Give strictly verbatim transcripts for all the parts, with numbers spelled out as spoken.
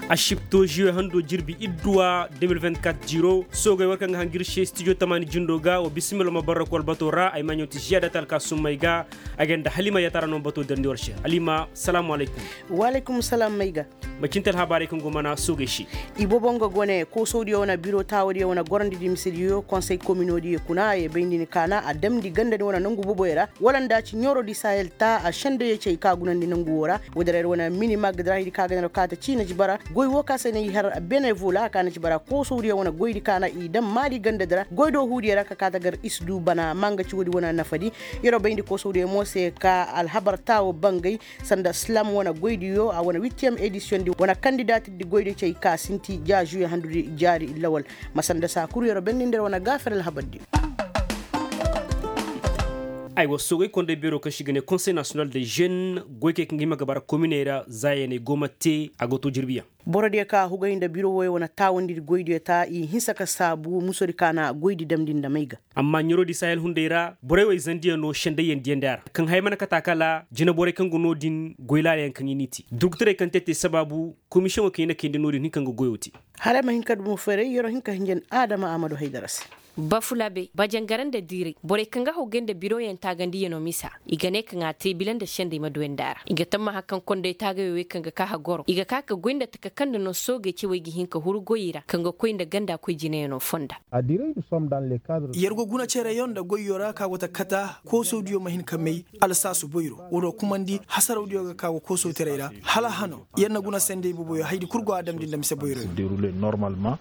Asibto žiyo hando jirbi idduwa de mil vingt-quatre jiro soogey war kaŋ ga hanjir se stijo tamaani jindo ga wa bisimilla ma barra ku albato ra ay maaɲo ti žiyada talka summey ga. A ga nda halima yatara no bato darndi war se halima salaamu alaykum. Wa alaykum salaam may ga. Macinte alhabaarey kaŋ go mana soogey se. Ibobo nga gone koosodiyo wane biro taawodiyo wane gorandi di misediyo konsey kominodiyo kuna ye bayndi ni kaana a damndi ganda ni wane nangu boboyo ra wala nda ci ɲooro di sahel ta a sendayey cey ka gunandi nangu wo ra. Woodin ra ir wane mini magga di ra haydi ka ga ne ra kaata ciina jibara goy wo ka se na i har benevola ka na jibara koosodiyo wane goydi kaana i daŋ maali ganda di ra goy do huudiyo ra ka kaata gar i si du bana ma nga ci woodi wane nafadi. Yeroo bayndi koosodiyo mo se ka alhabar taawo bangay sanda slam wane goydiyo a wane wittiyem edisiyoŋ di wane kandidaati di goydi cey ka sinti ja žuwe handudi jaari lawal. Ma sanda saa kul yeroo benni nda ir wane gaafir alhabar di. Ay wa soogay konday beeroo kaŋ se i ga ne konsey nasiyonal de žen goykey kaŋ ga hima ga bara kominey ra zaayaney go ma te a go to jirbiyaŋ. Borodiyo ka hugay nda biro wooyo wane taawandi goydiyo ta i hinsa ka saabu musodi ka na goydi damndi nda may ga. Amma ɲaroodi sahel hunday ra borey wey zandiyaŋ no sendayyaŋ diyandi a ra kaŋ haya mana kata kala jina borey kaŋ go no-din goy laalayaŋ kaŋ i n'i te doktorey kaŋ te te sabaabu komisiyoŋo kaŋ i na kayndi no-din hin kaŋ ga goyo te. Hala ay ma hin ka dumo feeray yeroo hin ka hinjan adama a ma du haydara se. Bafulabe bajangara nda diiray borey kaŋ ga hawgay nda biroyaŋ taagandiyano misa i ga ne kaŋ a te bila nda sendey ma duwandi a ra i ga tammaha kaŋ konday taagayo wey kaŋ ga ka ha goro i ga ka ka goy nda taka kaŋ nda no soogey cewey ga hin ka huru goyey ra kaŋ ga koy nda ganda koy jinayano fonda. Yer go guna cereyo nda goyyo ra ka go ta kata koosodiyo ma hin ka may alsaasu boyro woodoo kumandi hasarawdiyo ga ka go koosowtaray ra hala hano yer na guna sendey boboyo haydi kul go a damndi nda mise boyroyo.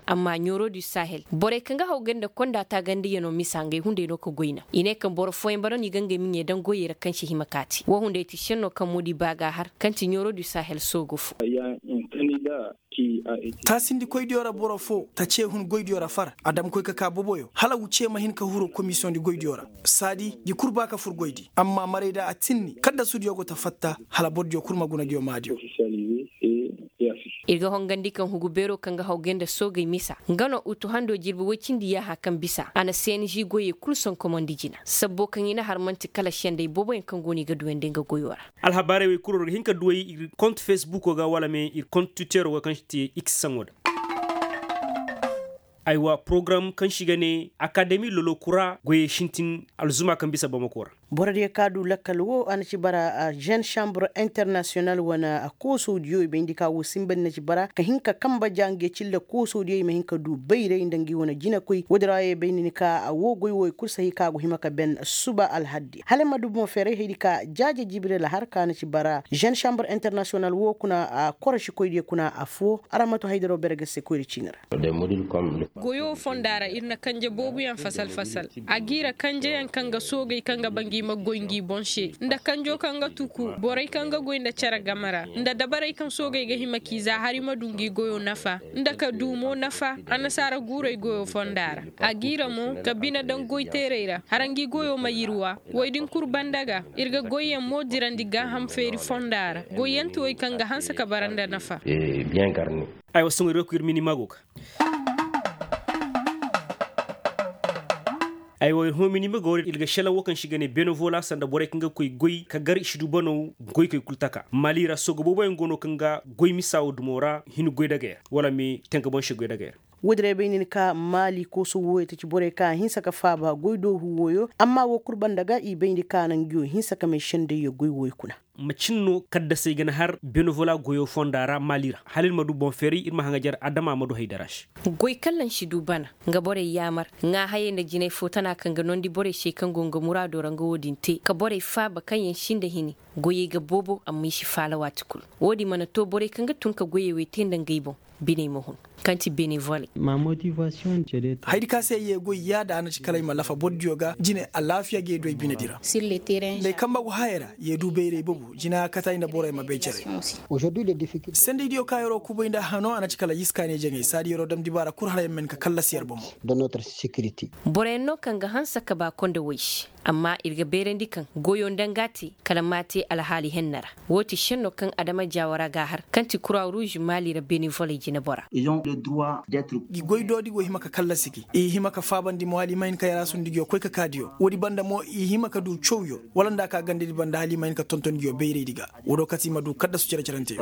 Amma ɲooroo du sahel borey kaŋ ga haw ganda konda taagandiyano misa ngey hunday no ka goyna i ne kaŋ boro fooyaŋ bara no i ga ngey miɲey daŋ goyey ra kaŋ si hima ka te woo hunday ti šenno kaŋ moodi ba ga a har kaŋ ti ɲooroo du sahel soogo fo. Taasindikoydiyo ra boro foo ta cee hun goydiyo ra far a dam koy ka kaa boboyo hala wucee ma hin ka huru komisiyoŋdi goydiyo ra. Saadi gi kul ba ka fur goydi amma maray da a tinni kaddasudiyo go ta fatta hala bordiyo kul ma guna ngiyo maadiyo. Ir ga hongandi kaŋ hugu beeroo kaŋ ga hawgay nda soogey misa nga no utu hando jirbi woy cindi yaaha kaŋ bisa a na cng goyey kul sonkomandi jina sabbo kaŋ i na har man'ti kala sendey booboyaŋ kaŋ go no i ga duwandi nga goyoo ra. Alhabaarey wey kul war ga hin ka duw'ey ir kont fesbuko ga wala me ir kont twitteroo ga kaŋ si te x saŋo da. Aywa porogaram kaŋ se i ga ne akademi lolo kura goyey sintin alzuma kaŋ bisa bamako ra. Borodiyo ka du lakkal wo a na ci bara zen sambur internasiyonal wane koosodiyo i bayndi ka wo sinbandi na ci bara ka hin ka kanba ja nge cilla koosodiyo i ma hin ka du bayray nda ngi wane jinakoy woodin ra ye bayndi ni ka wo goy wo i kul sahi ka go hima ka ben suba alhaddi hala ay ma du boŋ feeray haydi ka jaaje jibril har ka na ci bara zen sambur internasiyonal wo kuna a korosikoydiyo kuna affoo araŋ ma to haydaroo berge se koyri ciini ra. Goyoo fonda ra ir na kanje booboyaŋ fasal fasal. A g'i ra kanjeyaŋ kaŋ ga soogey kaŋ ga ba ngi ma goy ngi boŋ se nda kanjoo kaŋ ga tuku borey kaŋ ga goy nda cere game ra nda dabarey kaŋ soogey ga hima k'i za har i ma du ngi goyoo nafa nda ka du mo nafa annasaara guurey goyoo fonda ra. A g'i ra mo ka bine daŋ goyteerey ra har ngi goyoo ma yirwa. Wey din kul banda ga ir ga goyyaŋ mo dirandi gaaham feeri fonda ra goyyanti wey kaŋ ga hanse ka bara nda nafa. Aywa sohõ ir ga koy ir mini mago ga. Aywa ir hõ mini mago ir ga selaŋ wo kaŋ se i ga ne benevola sanda borey kaŋ ga koy goy ka gar i si du banaw. Goykey kul taka maali ra sooga booboyaŋ go no kaŋ ga goy misa wo dumo ra hin goy dagey ra wala me tanka boŋ se goy dagey ra. Woodin ra bay nin ka maali kooso wooyo ta ci borey kaŋ a hinsa ka faaba goy doohu wooyo amma woo kul banda ga i bayndi ka naŋ ngi wo hinsa ka may sendayyo goy wooyo kuna. Macin no kaddasey ga na har benevola goyo fonda ra maali ra hala ir ma du boŋ feeray ir ma haŋajer adama ma du haydara se. Goy kallaŋ si du bana nga borey yaamar ŋaahayey nda jinay fo tana kaŋ ga noondi borey se kaŋ go nga muraado ra nga woo din te ka borey faaba kaŋ yaŋ sinda hini. Goyey ga boobo amma i si faala waati kul. Woo din mana too borey kaŋ ga tun ka goyey wey te nda ngey boŋ biney ma hun. Kaŋ ti benevole. Haydi ka se ye goy yaada a na ci kala ay ma lafa boro diyo ga jine alaafiya ga ye du ay bine di ra. Nda ay kamba go hayey ra ye du bayray boobo jina a kata ay nda borey ma bay cere. Sendey diyo ka yeroo kubay nda hano a na ci kala yiskaaney jaŋay saadi yeroo dam dibaara kul hala yer ma hin ka kallasi yer bomo. Boroyaŋ no kaŋ ga hanse ka ba konda woy se. Amma ir ga bayrandi kaŋ goyo nda nga te kala ma te alhaali henna ra. Wo ti šenno kaŋ adama jaawara ga a har kaŋ ti kura ruuz maali ra benevoley jinebora. Gi goy doodi go hima ka kallasi gi i hima ka faabandi mo hala i ma hin ka yaraasundigiyo koy ka kaa diyo woodi banda mo i hima ka du cawyo wala nda a ka gandadi banda hala i ma hin ka tontondigiyo bayraydi ga. Woodi wo kate i ma du kaddasu cere-cerante.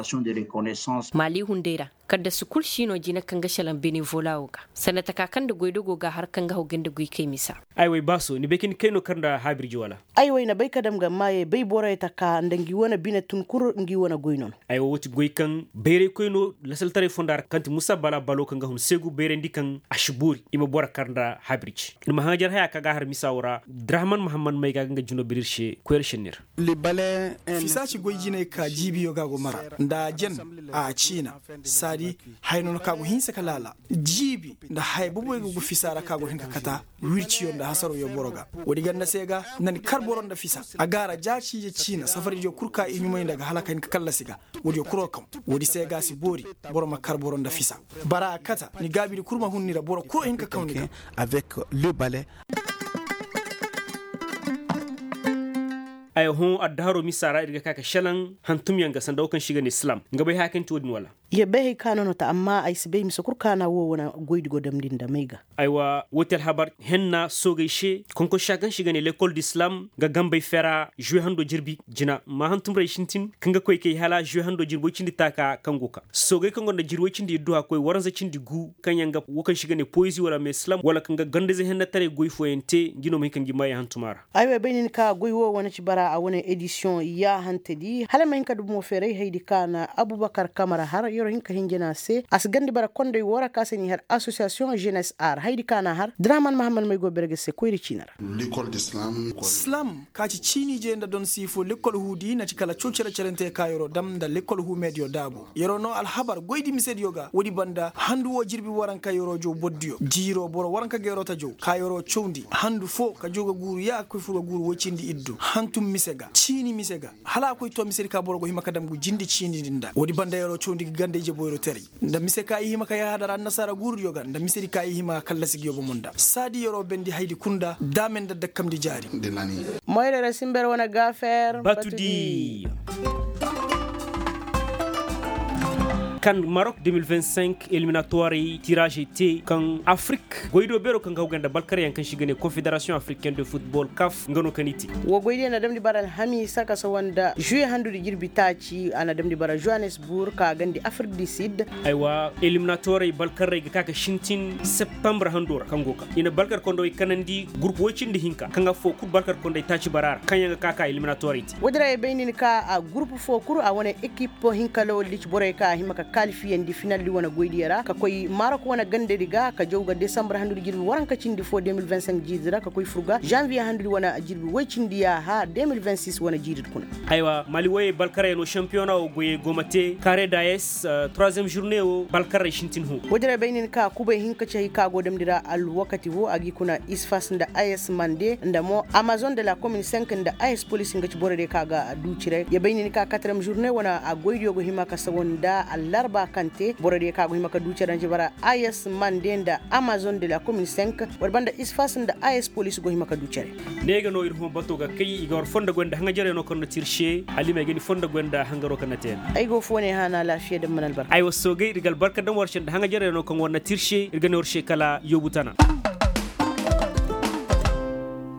Maali hunday ra kaddasu kul si no jina kaŋ ga šelaŋ benevola wo ga sanda taka kaŋ nda goydogo ga a har kaŋ ga haw ganda goykey misa. Ay way baaso ni bay ka ni kay no kar nda haabirji wala? Ay way na bay ka dam ga maayey bay borey taka nda ngi wane bine tun kul ngi wane goy no no. Ay wo wo ti goy kaŋ bayraykoy no lasaltaray fonda ra kaŋ ti musa bala balo kaŋ ga hun seegu bayrandi kaŋ a si boori i ma boro kar nda haabirji. Ni ma haŋajar haya kaŋ ga a har misa wo ra drahaman mahammad may ga ga nga jino bir ir se koyra šenni ra. Fisa ci goy jinay ka jiibiyo ga go mara nda a jen a ciina. Saadi haya no no ka go hinsa ka laala jiibi nda haya boboy ga go fisa ra ka go hin ka kata wirciyo nda hasaroyo boro ga. Woodi ganda se ga nda ni kar boro nda fisa a gaara ja ciije ciina safaridiyo kul ka i ɲumay nda ga hala ka hin ka kallasi ga. Woodiyo kul wo kaŋ woodi se ga a si boori boro ma kar boro nda fisa. Bara a kata ni gaabidi kul ma hun ni ra boro kul wo hin ka kaw ni ga. Avec le bale. Ay hõ addaharoo misa ra ir ga ka ka šelaŋ hantumyaŋ ga sanda wo kaŋ se i ga ne silam nga bay haya kaŋ ti wo-din wala? Ya bay hay ka no no ta amma ay si bay mise kul kaana wo wane goydi go damndi nda may ga. Aywa wo ti alhabar henna soogey se konkonsa kaŋ se i ga ne lekol di silam ga gambey fera žuwe hando jirbi jina ma hantumray sintin kaŋ ga koy kay hala žuwe hando jirbi woy cindi taaka kaŋ go ka soogey kaŋ go nda jirbi woy cindi idduha koy waranza cindi gu kaŋ yaŋ ga wo kaŋ se i ga ne poyezi wala me silam wala kaŋ ga gandayze hennataray goy fooyaŋ te ngi no ma hin ka ngi maayi hantuma ra. Ay wo ay bay nin ka goy wo wane ci bara a wane edisiyoŋ yaahantedi hala ay ma hin ka dubu mo feeray haydi ka na abubakar kamara har yer wo hin ka hinjina a se a si gandi bara konday woo ra ka se n'i har asosiyasiyoŋ ženes ar haydi ka na a har draman mahammad may go berge se koyri ciina ra. Slam ka ci ciini je nda don siifo lekkol huudi na ci kala coo cere-cerante ka yer wo dam nda lekkol huu mediyo daabu yer wo noo alhabar goydi misediyo ga woodi banda handu woo jirbi waranka yer wo jow bordiyo jiiroo boro waranka ga yer wo ta jow ka yer wo cawndi handu foo ka jow ga guuru ya ka koy fur ga guuru woy cindi iddu hantum mise ga ciini mise ga hala a koy too misedi ka boro go hima ka dam gu jindi ciini din nda woodi banda yer wo cawndi ga ganda ije boyro teray nda mise ka i hima ka yahadar annasaara guurudiyo ga nda misedi ka i hima ka kallasi ga yobo mo nda saadi yer wo bendi haydi kul nda daame nda dakkamndi jaari. Moyre ra simber wane gaafer batudi. Kan marok de mil vingt cinq eliminatoirey tiraazey te kaŋ afrik goydo beero kaŋ ga haw ganda balkaryaŋ kaŋ se i ga ne konfederasiyoŋ afrikaine de futbol kaf nga no kaŋ i te. Woo goydiyaŋ na damndi bara alhamiisa ka sawa nda žuwe handudi jirbi taaci a na damndi bara žohanesbur ka gandi afrik di sid. Aywa eliminatoirey balkarrey ga ka ka sintin septambur hando ra kaŋ go ka i na balkar kondowey kanandi gurpu woy cindi hinka kaŋ affoo kul balkar kondey taaci bara ra kaŋ yaŋ ga ka ka eliminatoirey te. Woodi ra ay bay nin ka a gurpu foo kul a wane ekip hinka lawaldi ci borey kaŋ a hima ka kaalifiyandi finaldi wane goydiyo ra ka koy marok wane gandadi ga ka jaw ga desambur handudi jirbi waranka cindi foo de mil vingt cinq jiiridi ra ka koy fur ga zanviye handudi wane jirbi woy cindi yaaha de mil vingt six wane jiiridi kuna. Aywa mali woyey balkarey no sampiyona woo goyey go ma te kare dayes. Troisième žurne woo balkarey sintin hõ. Woodin ra bay nin ka kubay hinka ci hay ka go damndi ra alwakati woo a g'i kuna isfas nda ayes mande nda mo amazon de la komin cinq nda ayes polis nga ci borodiyo ka ga duuci ra ya bay nin ka katrem žurne wane a goydiyo go hima ka sawa nda allarba kaŋ te borodiyo ka go hima ka duuci ra nda ci bara ayes mande nda amazon de la komin cinq. War banda isfas nda ayes polis go hima ka duuci ra. Ne ga no ir hõ bato ga kay i ga war fondo goy nda haŋajaryaŋo kaŋ na te ir se. Hala i ma ay ga ni fondo goy nda hangaro kaŋ na te yaŋ. Ay go fo ne haana alaafiya da mana albarka. Aywa soogay ir ga albarka daŋ war se nda haŋajaryaŋo kaŋ war na te ir se ir ga ne war se kala yoobu tana.